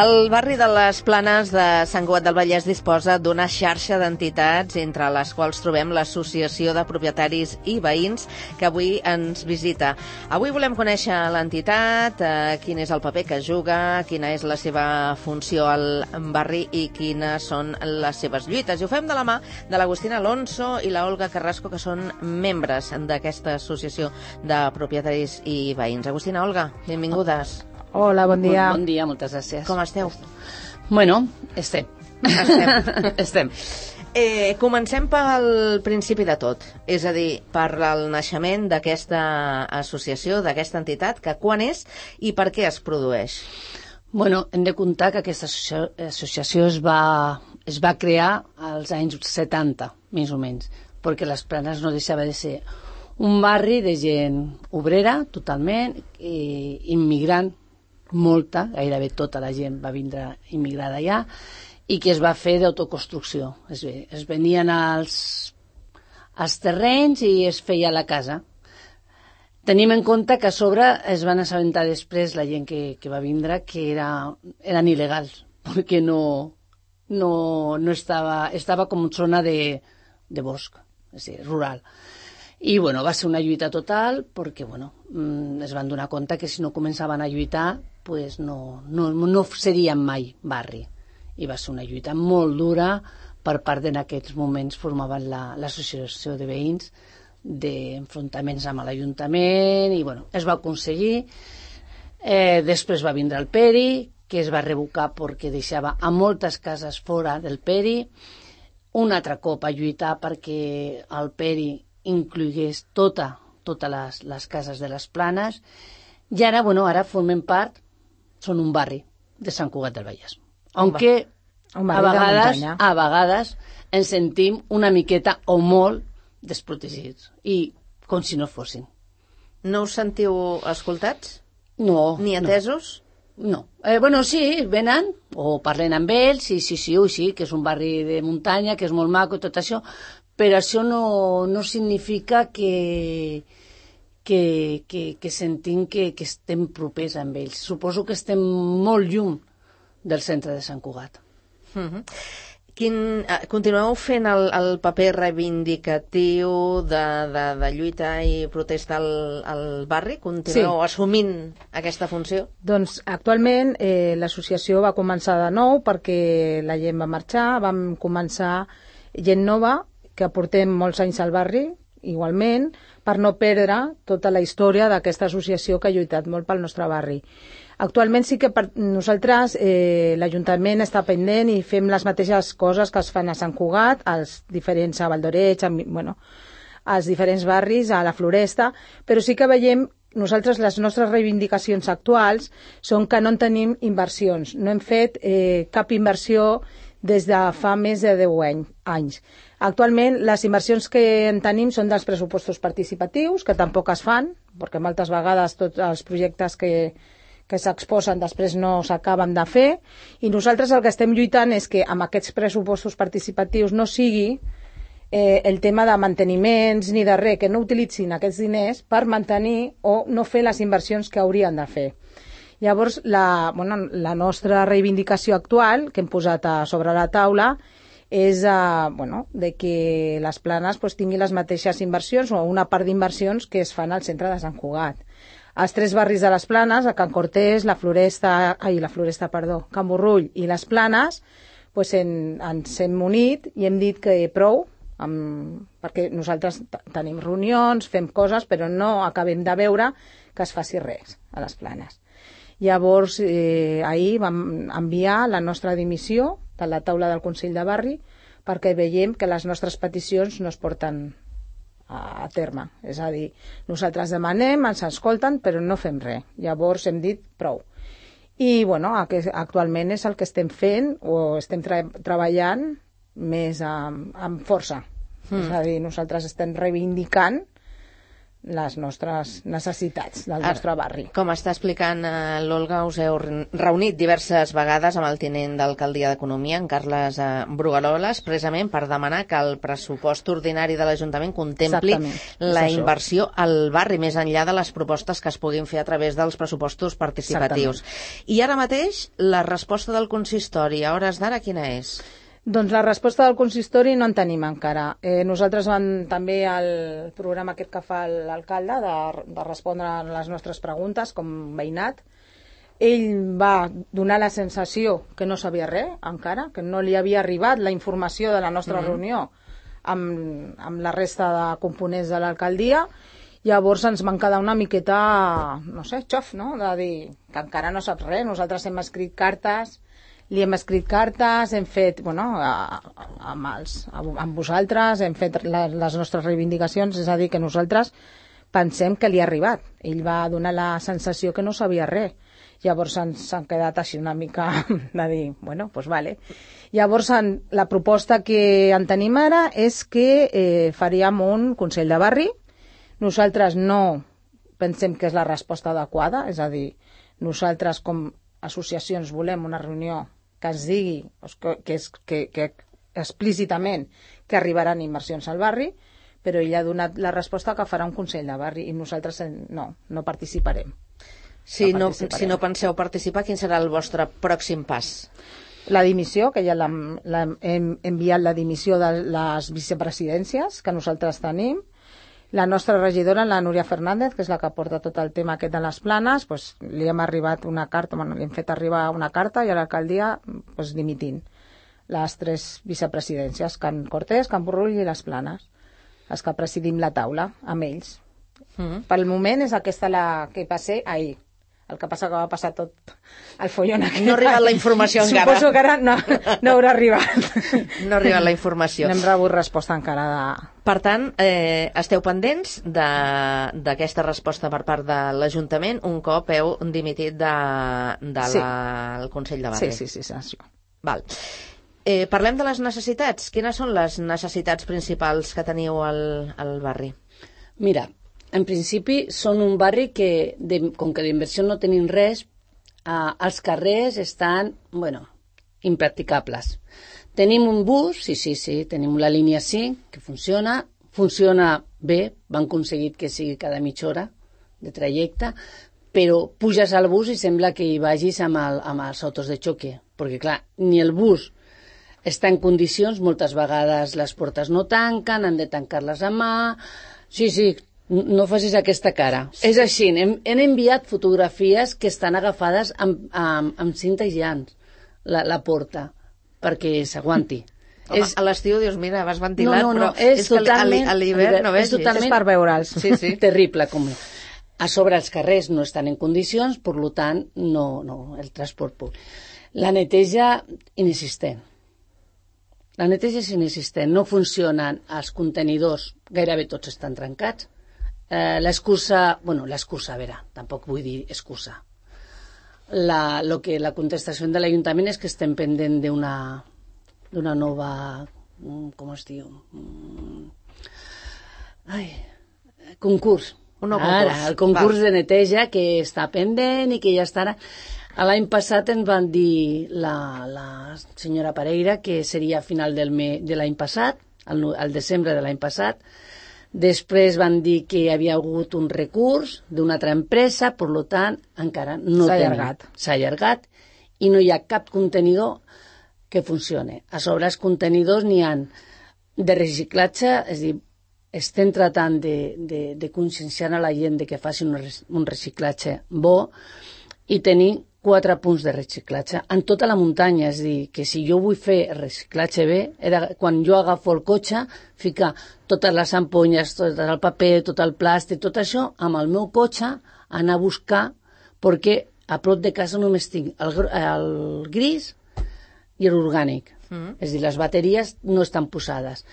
El barri de les Planes de Sant Cugat del Vallès disposa d'una xarxa d'entitats, entre les quals trobem l'Associació de Propietaris i Veïns, que avui ens visita. Avui volem conèixer l'entitat, quin és el paper que juga, quina és la seva funció al barri i quines són les seves lluites. I ho fem de la mà de l'Agustina Alonso i la Olga Carrasco, que són membres d'aquesta Associació de Propietaris i Veïns. Agustina, Olga, benvingudes. Hola, bon dia. Bon dia, moltes gràcies. Com esteu? Bueno, estem. Comencem pel principi de tot, és a dir, per el naixement d'aquesta associació, d'aquesta entitat, que quan és i per què es produeix? Bueno, hem de comptar que aquesta associació es va crear als anys 70, més o menys, perquè les Planes no deixava de ser un barri de gent obrera, totalment, immigrant, molta, gairebé tota la gent va vindre immigrada allà, i que es va fer d'autoconstrucció. Es venien als terrenys i es feia la casa. Tenim en compte que a sobre es van assabentar després la gent que va vindre que eren il·legals, perquè estava com zona de bosc, és a dir, rural. I bueno, va ser una lluita total perquè es van donar compte que si no començaven a lluitar pues no serien mai barri, i va ser una lluita molt dura per part d'en aquests moments formaven l'associació de veïns, d'enfrontaments amb l'Ajuntament, i es va aconseguir. Després va vindre el Peri, que es va revocar perquè deixava a moltes cases fora del Peri. Un altre cop a lluitar perquè el Peri inclogués totes les cases de les Planes, i ara formen part, són un barri de Sant Cugat del Vallès, aunque a vegades ens sentim una miqueta o molt desprotegits, i com si no fossin. No us sentiu escoltats? No. Ni atesos? No. Sí, venen o parlen amb ells, sí, que és un barri de muntanya, que és molt maco i tot això, però això no significa que sentim que estem propers amb ells. Suposo que estem molt lluny del centre de Sant Cugat. Continueu fent el paper reivindicatiu de lluita i protesta al barri? Continueu assumint aquesta funció? Doncs actualment l'associació va començar de nou perquè la gent va marxar, vam començar gent nova, que portem molts anys al barri, igualment, per no perdre tota la història d'aquesta associació que ha lluitat molt pel nostre barri. Actualment sí que per nosaltres l'Ajuntament està pendent i fem les mateixes coses que es fan a Sant Cugat, als diferents, a Valdoreig, als diferents barris, a la Floresta, però sí que veiem nosaltres les nostres reivindicacions actuals són que no en tenim inversions. No hem fet cap inversió des de fa més de 10 anys. Actualment, les inversions que en tenim són dels pressupostos participatius, que tampoc es fan, perquè moltes vegades tots els projectes que s'exposen després no s'acaben de fer, i nosaltres el que estem lluitant és que amb aquests pressupostos participatius no sigui el tema de manteniments ni de res, que no utilitzin aquests diners per mantenir o no fer les inversions que haurien de fer. Llavors, la nostra reivindicació actual, que hem posat sobre la taula, és de que les Planes tinguin les mateixes inversions o una part d'inversions que es fan al centre de Sant Cugat. Els 3 barris de les Planes, a Can Cortés, Can Borrull i les Planes, ens hem unit i hem dit que prou, perquè nosaltres tenim reunions, fem coses, però no acabem de veure que es faci res a les Planes. Llavors, ahir vam enviar la nostra dimissió de la taula del Consell de Barri perquè veiem que les nostres peticions no es porten a terme. És a dir, nosaltres demanem, ens escolten, però no fem res. Llavors hem dit prou. I actualment és el que estem fent o estem treballant més amb força. És a dir, nosaltres estem reivindicant les nostres necessitats del nostre barri. Com està explicant l'Olga, us heu reunit diverses vegades amb el tinent d'alcaldia d'Economia, en Carles Brugueroles, precisament per demanar que el pressupost ordinari de l'Ajuntament contempli la inversió al barri, més enllà de les propostes que es puguin fer a través dels pressupostos participatius. I ara mateix, la resposta del consistori, a hores d'ara, quina és? Doncs la resposta del consistori no en tenim encara. Nosaltres també el programa aquest que fa l'alcalde de respondre a les nostres preguntes com veïnat, ell va donar la sensació que no sabia res encara, que no li havia arribat la informació de la nostra reunió amb la resta de components de l'alcaldia. Llavors ens van quedar una miqueta, no sé, xof, no?, de dir que encara no saps res. Nosaltres hem escrit cartes, hem fet, amb vosaltres, hem fet les nostres reivindicacions, és a dir, que nosaltres pensem que li ha arribat. Ell va donar la sensació que no sabia res. Llavors s'han quedat així una mica de dir, doncs vale. Llavors la proposta que en tenim ara és que faríem un Consell de Barri. Nosaltres no pensem que és la resposta adequada, és a dir, nosaltres com associacions volem una reunió que ens digui que explícitament que arribaran inversions al barri, però ell ha donat la resposta que farà un Consell de Barri i nosaltres no participarem. Si no penseu participar, quin serà el vostre pròxim pas? La dimissió, que ja hem enviat la dimissió de les vicepresidències que nosaltres tenim. La nostra regidora, la Núria Fernández, que és la que porta tot el tema aquest de les planes, li hem arribat una carta, li hem fet arribar una carta i a l'alcaldia dimitint les 3 vicepresidències, Can Cortés, Can Borrull i les Planes, les que presidim la taula amb ells. Pel moment és aquesta la que va ser ahir. El que passa que va passar tot el follon aquest. No ha arribat la informació encara. Suposo que ara no haurà arribat. No ha arribat la informació. No hem rebut resposta encara Per tant, esteu pendents d'aquesta resposta per part de l'Ajuntament un cop heu dimitit del Consell de Barri. Sí. Val. Parlem de les necessitats. Quines són les necessitats principals que teniu al barri? Mira, en principi són un barri que, com que d'inversió no tenim res, els carrers estan, impracticables. Tenim un bus, sí, tenim la línia 5, que funciona bé, van aconseguit que sigui cada mitja hora de trajecte, però puges al bus i sembla que hi vagis amb els autos de xoque, perquè clar, ni el bus està en condicions, moltes vegades les portes no tanquen, han de tancar-les a mà, sí, no facis aquesta cara. Sí. És així, hem enviat fotografies que estan agafades amb cinta aïllant, la porta, perquè s'aguanti. A l'estiu dius, mira, vas ventilat, no, però és que totalment, a l'hivern no vegis. És per veure'ls. Sí. Terrible. A sobre els carrers no estan en condicions, per tant, no el transport públic. La neteja inexistent. No funcionen els contenidors, gairebé tots estan trencats. L'excusa, a veure, tampoc vull dir excusa. La contestació de l'Ajuntament és que estem pendent d'una nova, com es diu? Concurs. El concurs de neteja que està pendent i que ja estarà. L'any passat ens van dir la senyora Pereira que seria a final de l'any passat, al desembre de l'any passat. Després van dir que hi havia hagut un recurs d'una altra empresa, per tant, encara no s'ha allargat i no hi ha cap contenidor que funcioni. A sobre els contenidors n'hi ha de reciclatge, és a dir, estem tratant de conscienciar a la gent de que faci un reciclatge bo i tenir 4 punts de reciclatge en tota la muntanya, és a dir, que si jo vull fer reciclatge bé, quan jo agafo el cotxe, ficar totes les ampolles, tot el paper, tot el plàstic, tot això, amb el meu cotxe, anar a buscar, perquè a prop de casa només tinc el gris i l'orgànic. És a dir, les bateries no estan posades.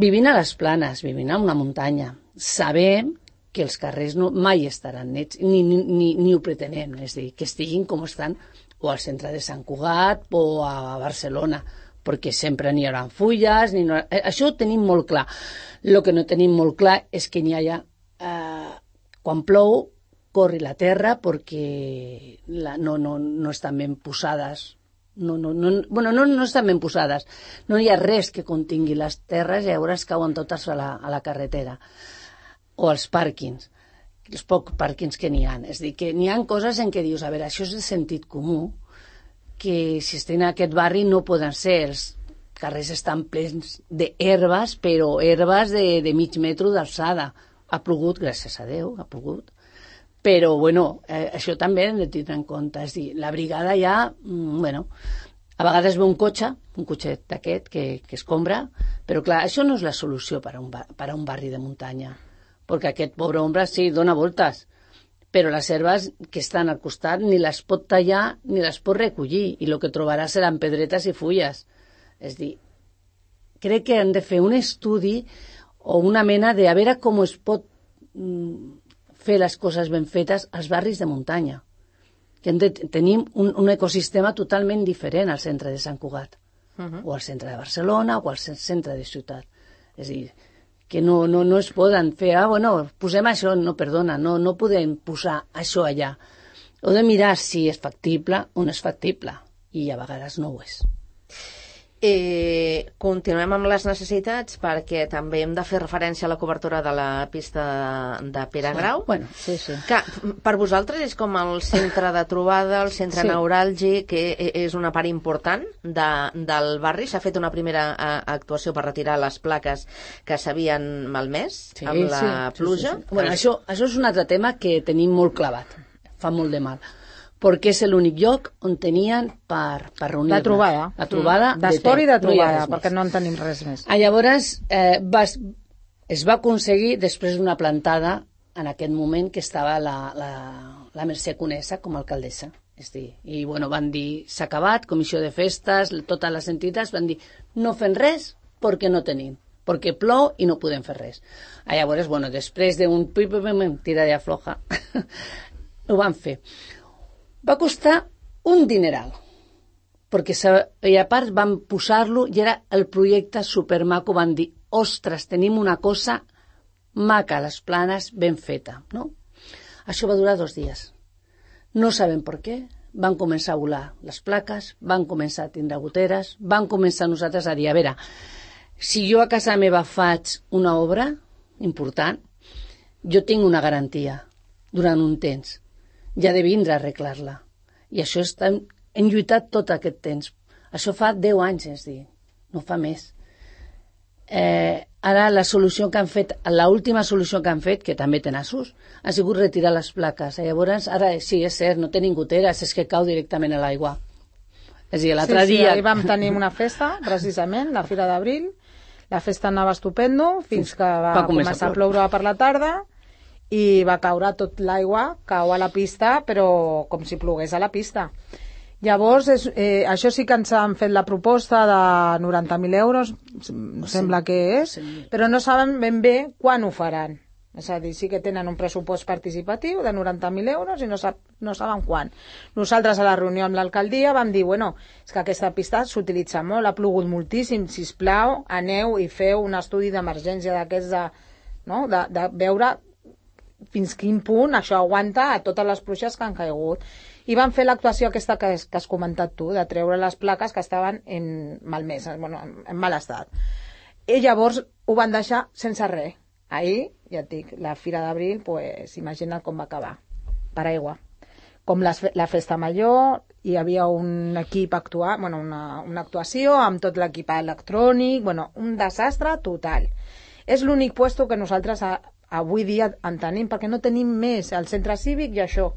Vivint a les Planes, vivint a una muntanya, sabem que els carrers mai estaran nets, ni ho pretenem, és a dir, que estiguin com estan o al centre de Sant Cugat o a Barcelona, perquè sempre n'hi haurà fulles, això ho tenim molt clar. El que no tenim molt clar és que n'hi hagi quan plou corri la terra perquè no estan ben posades. No estan ben posades. No hi ha res que contingui les terres i llavors cauen totes a la carretera o als pàrquings, els pocs pàrquings que n'hi ha. És a dir, que n'hi ha coses en què dius, a veure, això és de sentit comú, que si estem en aquest barri no poden ser. Els carrers estan plens d'herbes, però herbes de mig metro d'alçada. Ha plogut, gràcies a Déu, ha plogut. Però, bueno, això també hem de tenir en compte. És a dir, la brigada ja, a vegades ve un cotxet d'aquest que escombra, però clar, això no és la solució per a un barri de muntanya, perquè aquest pobre home sí, dona voltes, però les herbes que estan al costat ni les pot tallar ni les pot recollir, i el que trobarà seran pedretes i fulles. És a dir, crec que han de fer un estudi o una mena de a veure com es pot fer les coses ben fetes als barris de muntanya, que hem de tenir un ecosistema totalment diferent al centre de Sant Cugat, o al centre de Barcelona, o al centre de ciutat. És a dir, que no es poden fer, posem això, no, perdona, no podem posar això allà. Heu de mirar si és factible o no és factible, i a vegades no ho és. Continuem amb les necessitats, perquè també hem de fer referència a la cobertura de la pista de Pere Grau. Sí. Que per vosaltres és com el centre de trobada, el centre neuràlgic, que és una part important del barri. S'ha fet una primera actuació per retirar les plaques que s'havien malmès amb la pluja. Sí. Bueno, això és un altre tema que tenim molt clavat, fa molt de mal, perquè és l'únic lloc on tenien per reunir-ne. La trobada. La trobada. D'esport i de trobada, perquè no en tenim res més. Llavors, es va aconseguir, després d'una plantada, en aquest moment que estava la Mercè Conesa com a alcaldessa. I van dir, s'ha acabat, comissió de festes, totes les entitats van dir, no fem res perquè no tenim, perquè plou i no podem fer res. Llavors, després d'un tira de afloja, ho van fer. Va costar un dineral, perquè a part van posar-lo i era el projecte supermaco, van dir, ostres, tenim una cosa maca a les Planes, ben feta, no? Això va durar 2 dies. No sabem per què, van començar a volar les plaques, van començar a tindre goteres, van començar nosaltres a dir, a veure, si jo a casa meva faig una obra important, jo tinc una garantia durant un temps, i ha de vindre a arreglar-la. I això hem lluitat tot aquest temps. Això fa 10 anys, és dir, no fa més. Ara la solució que han fet, l'última solució que han fet, que també té nassos, ha sigut retirar les plaques. Llavors, ara sí, és cert, no tenim goteres, és que cau directament a l'aigua. És a dir, l'altre dia... ahir vam tenir una festa, precisament, la Fira d'Abril. La festa anava estupendo, fins que va començar a ploure per la tarda, i va caure tot l'aigua, cau a la pista, però com si plogués a la pista. Llavors, això sí que ens han fet la proposta de 90.000 euros, sembla que és, però no saben ben bé quan ho faran. És a dir, sí que tenen un pressupost participatiu de 90.000 euros i no saben quan. Nosaltres a la reunió amb l'alcaldia vam dir, és que aquesta pista s'utilitza molt, ha plogut moltíssim, sisplau, aneu i feu un estudi d'emergència d'aquests de veure fins quin punt això aguanta a totes les pluges que han caigut. I van fer l'actuació aquesta que has comentat tu, de treure les plaques que estaven malmeses, en mal estat. I llavors ho van deixar sense res. Ahir, ja et dic, la Fira d'Abril, imagina't com va acabar. Per aigua. Com la festa major, hi havia un equip una actuació amb tot l'equip electrònic, un desastre total. És l'únic puesto que nosaltres avui dia en tenim, perquè no tenim més el centre cívic i això.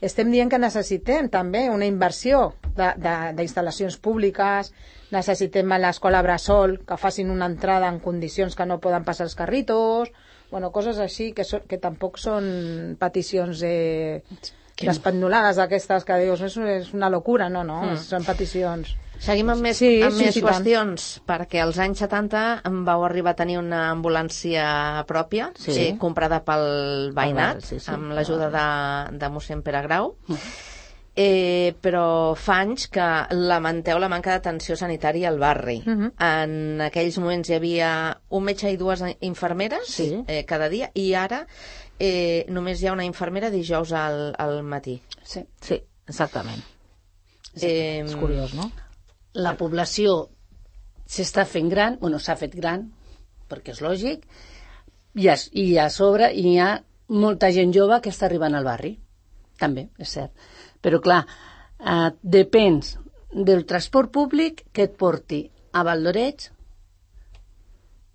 Estem dient que necessitem també una inversió d'instal·lacions públiques, necessitem a l'escola Bressol que facin una entrada en condicions que no poden passar els carritos, coses així que tampoc són peticions despendolades d'aquestes que dius, és una locura, no, són peticions. Seguim amb més qüestions, perquè als anys 70 vau arribar a tenir una ambulància pròpia, comprada pel veïnat, amb l'ajuda de mossèn Pere Grau. però fa anys que lamenteu la manca d'atenció sanitària al barri. En aquells moments hi havia un metge i 2 infermeres cada dia, i ara només hi ha una infermera dijous al matí. Sí, exactament. És curiós, no? La població s'està fent gran, s'ha fet gran, perquè és lògic, i a sobre hi ha molta gent jove que està arribant al barri. També, és cert. Però, clar, depens del transport públic que et porti a Valdoreig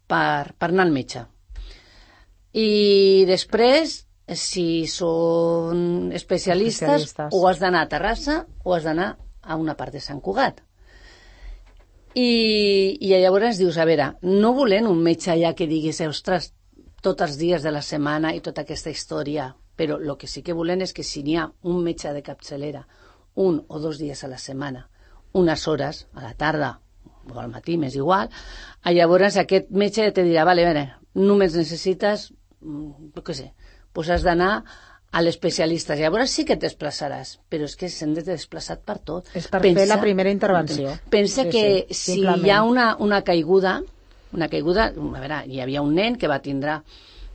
per anar al metge. I després, si són especialistes, o has d'anar a Terrassa o has d'anar a una part de Sant Cugat. I llavors dius, a veure, no volem un metge allà que diguis, ostres, tots els dies de la setmana i tota aquesta història, però el que sí que volem és que si n'hi ha un metge de capçalera 1 o 2 dies a la setmana, unes hores, a la tarda o al matí, m'és igual, llavors aquest metge te dirà, vale, només necessites, què sé, doncs has d'anar a l'especialista. Llavors sí que et desplaçaràs, però és que s'han de desplaçar per tot. És per fer la primera intervenció. Pensa que si hi ha una caiguda, a veure, hi havia un nen que va tindre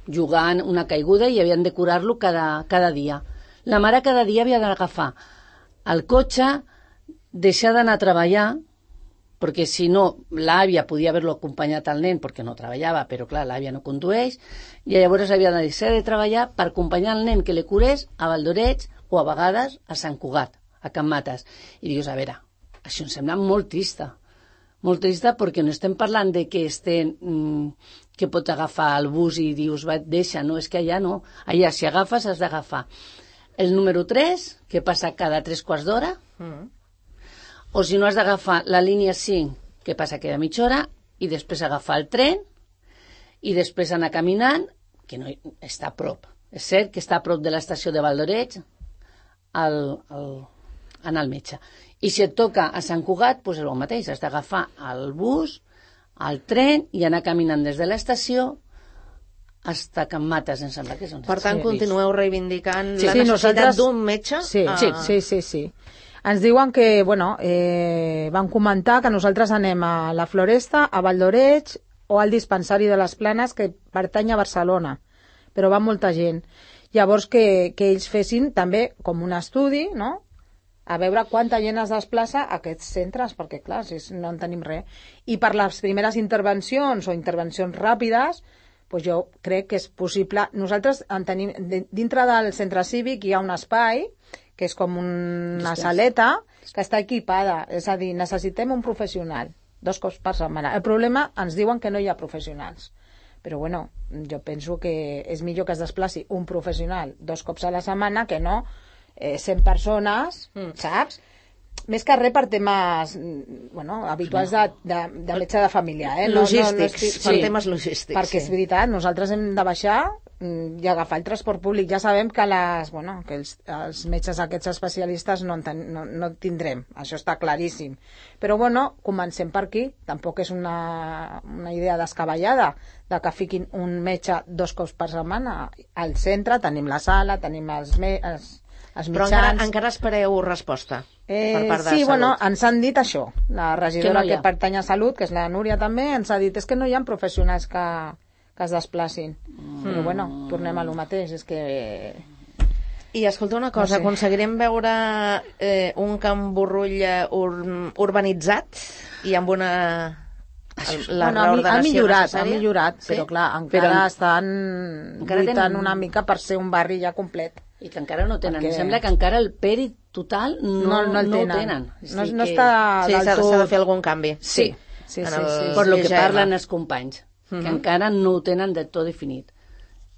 jugant una caiguda i havien de curar-lo cada dia. La mare cada dia havia d'agafar el cotxe, deixar d'anar a treballar, perquè si no, l'àvia podia haver-lo acompanyat al nen perquè no treballava, però clar, l'àvia no condueix, i llavors havia de deixar de treballar per acompanyar el nen que li curés a Valdoreig o a vegades a Sant Cugat, a Can Mates. I dius, a veure, això em sembla molt trista perquè no estem parlant de que que pot agafar el bus i dius, va, deixa, no, és que allà no. Allà, si agafes, has d'agafar el número 3, que passa cada 3/4 d'hora, o si no, has d'agafar la línia 5, que passa cada mitja hora, i després agafar el tren, i després anar caminant, que no està a prop. És cert que està a prop de l'estació de Valdoreig, anar al metge. I si et toca a Sant Cugat, doncs és el mateix, has d'agafar el bus, el tren i anar caminant des de l'estació fins a Can Mates, em sembla que és on Per tant, continueu reivindicant la necessitat d'un metge? Sí. Ens diuen que, van comentar que nosaltres anem a la Floresta, a Valdoreig o al dispensari de les Planes, que pertany a Barcelona, però va molta gent. Llavors que ells fessin també com un estudi, no?, a veure quanta gent es desplaça a aquests centres, perquè, clar, no en tenim res. I per les primeres intervencions o intervencions ràpides, doncs jo crec que és possible. Nosaltres en tenim, dintre del centre cívic hi ha un espai, que és com una saleta, que està equipada. És a dir, necessitem un professional 2 cops per setmana. El problema, ens diuen que no hi ha professionals. Però, jo penso que és millor que es desplaci un professional 2 cops a la setmana que no 100 persones, saps? Més que res per temes habituals de metge de família. Logístics, per temes logístics. Perquè és veritat, nosaltres hem de baixar i agafar el transport públic. Ja sabem que els metges aquests especialistes no tindrem, això està claríssim. Però comencem per aquí. Tampoc és una idea descabellada de que fiquin un metge 2 cops per setmana. Al centre tenim la sala, tenim els mitjans. Però encara espereu resposta per part de sí, Salut. Ens han dit això. La regidora que pertany a Salut, que és la Núria també, ens ha dit, és que no hi ha professionals que es desplacin. Però tornem a lo mateix, és que... I escolta una cosa, aconseguirem veure un Can Burrull urbanitzat i amb una... ha millorat, però clar, encara estan lluitant una mica per ser un barri ja complet. I que encara no tenen. Em sembla que encara el pèrit total no el tenen. No està del tot... S'ha de fer algun canvi. Sí. Per lo que parlen els companys, que encara no ho tenen de tot definit.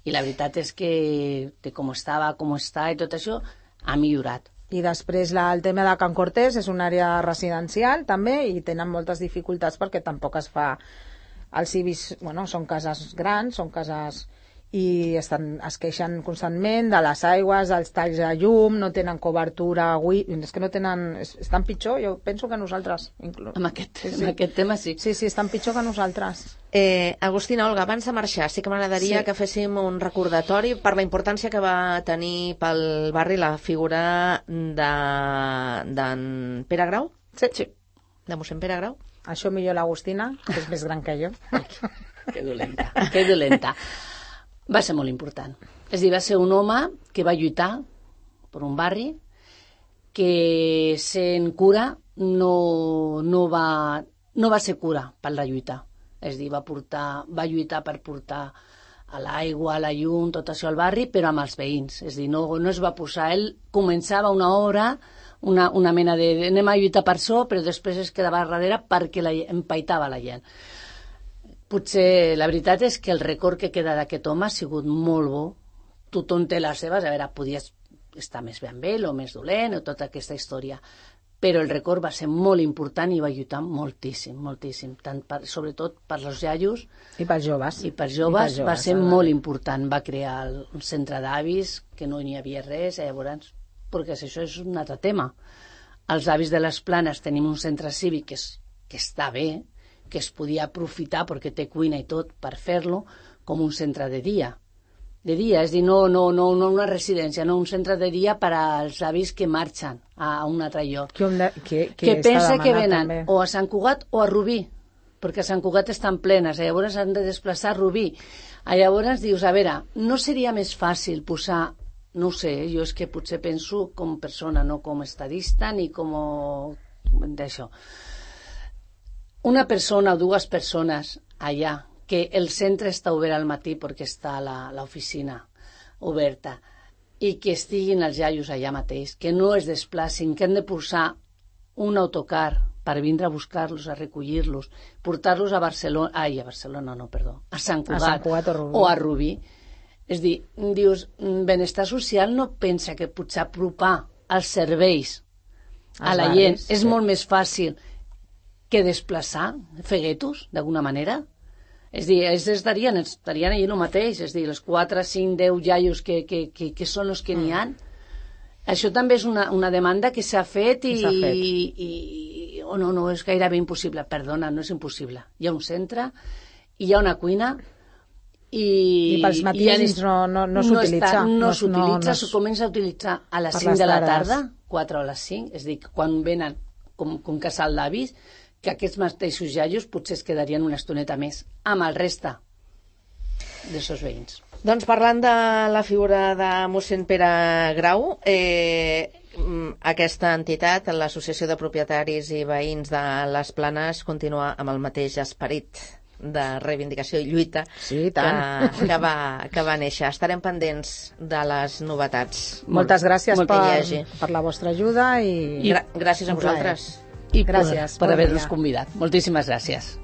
I la veritat és que com estava, com està i tot això, ha millorat. I després el tema de Can Cortés és una àrea residencial també i tenen moltes dificultats perquè tampoc es fa... Els civis, són cases grans, són cases... i es queixen constantment de les aigües, dels talls de llum, no tenen cobertura, és que no tenen... Estan pitjor, jo penso que nosaltres. Amb aquest tema sí. Sí, estan pitjor que nosaltres. Agustina, Olga, abans de marxar, sí que m'agradaria que féssim un recordatori per la importància que va tenir pel barri la figura d'en Pere Grau? Sí. De mossèn Pere Grau? Això millor l'Agustina, que és més gran que jo. Que dolenta. Va ser molt important. És a dir, va ser un home que va lluitar per un barri que sent cura no va ser cura per la lluita. És a dir, va lluitar per portar a l'aigua, a la llum, tot això al barri, però amb els veïns. És a dir, no es va posar... Ell començava una obra, una mena de... Anem a lluitar per això, però després es quedava darrere perquè empaitava la gent. Potser la veritat és que el record que queda d'aquest home ha sigut molt bo. Tothom té les seves, a veure, podies estar més bé amb ell o més dolent o tota aquesta història. Però el record va ser molt important i va lluitar moltíssim, sobretot per als iaios. I per joves. Va ser molt important. Va crear un centre d'avis, que no n'hi havia res, llavors, perquè això és un altre tema. Els avis de les Planes tenim un centre cívic que està bé, que es podia aprofitar perquè té cuina i tot per fer-lo com un centre de dia. De dia, és a dir, no una residència, no un centre de dia per als avis que marxen a un altre lloc. Que pensa que venen també o a Sant Cugat o a Rubí, perquè a Sant Cugat estan plenes, llavors han de desplaçar a Rubí. Llavors dius, a veure, no seria més fàcil posar, no ho sé, jo és que potser penso com persona, no com estadista ni com d'això. Una persona o dues persones allà, que el centre està obert al matí perquè està l'oficina oberta i que estiguin els iaios allà mateix, que no es desplacin, que han de posar un autocar per vindre a buscar-los, a recollir-los, portar-los a Barcelona, a Sant Cugat o a Rubí. És a dir, dius, benestar social no pensa que potser apropar els serveis a la gent és molt més fàcil que desplaçar, fer guetos, d'alguna manera. És a dir, ells estarien allà el mateix, és a dir, els 4, 5, 10 iaios que són els que n'hi ha. Això també és una demanda que s'ha fet i no, és gairebé impossible. Perdona, no és impossible. Hi ha un centre, hi ha una cuina i pels matins no s'utilitza. No s'utilitza, s'ho comença a utilitzar a les 5 de la tarda, 4 a les 5, és a dir, quan venen com casal d'avis, que aquests mateixos iaios potser es quedarien una estoneta més amb el resta dels seus veïns. Doncs parlant de la figura de mossèn Pere Grau, aquesta entitat, l'Associació de Propietaris i Veïns de les Planes, continua amb el mateix esperit de reivindicació i lluita que va néixer. Estarem pendents de les novetats. Moltes gràcies per la vostra ajuda i gràcies a vosaltres. I gràcies per haver-nos convidat. Moltíssimes gràcies.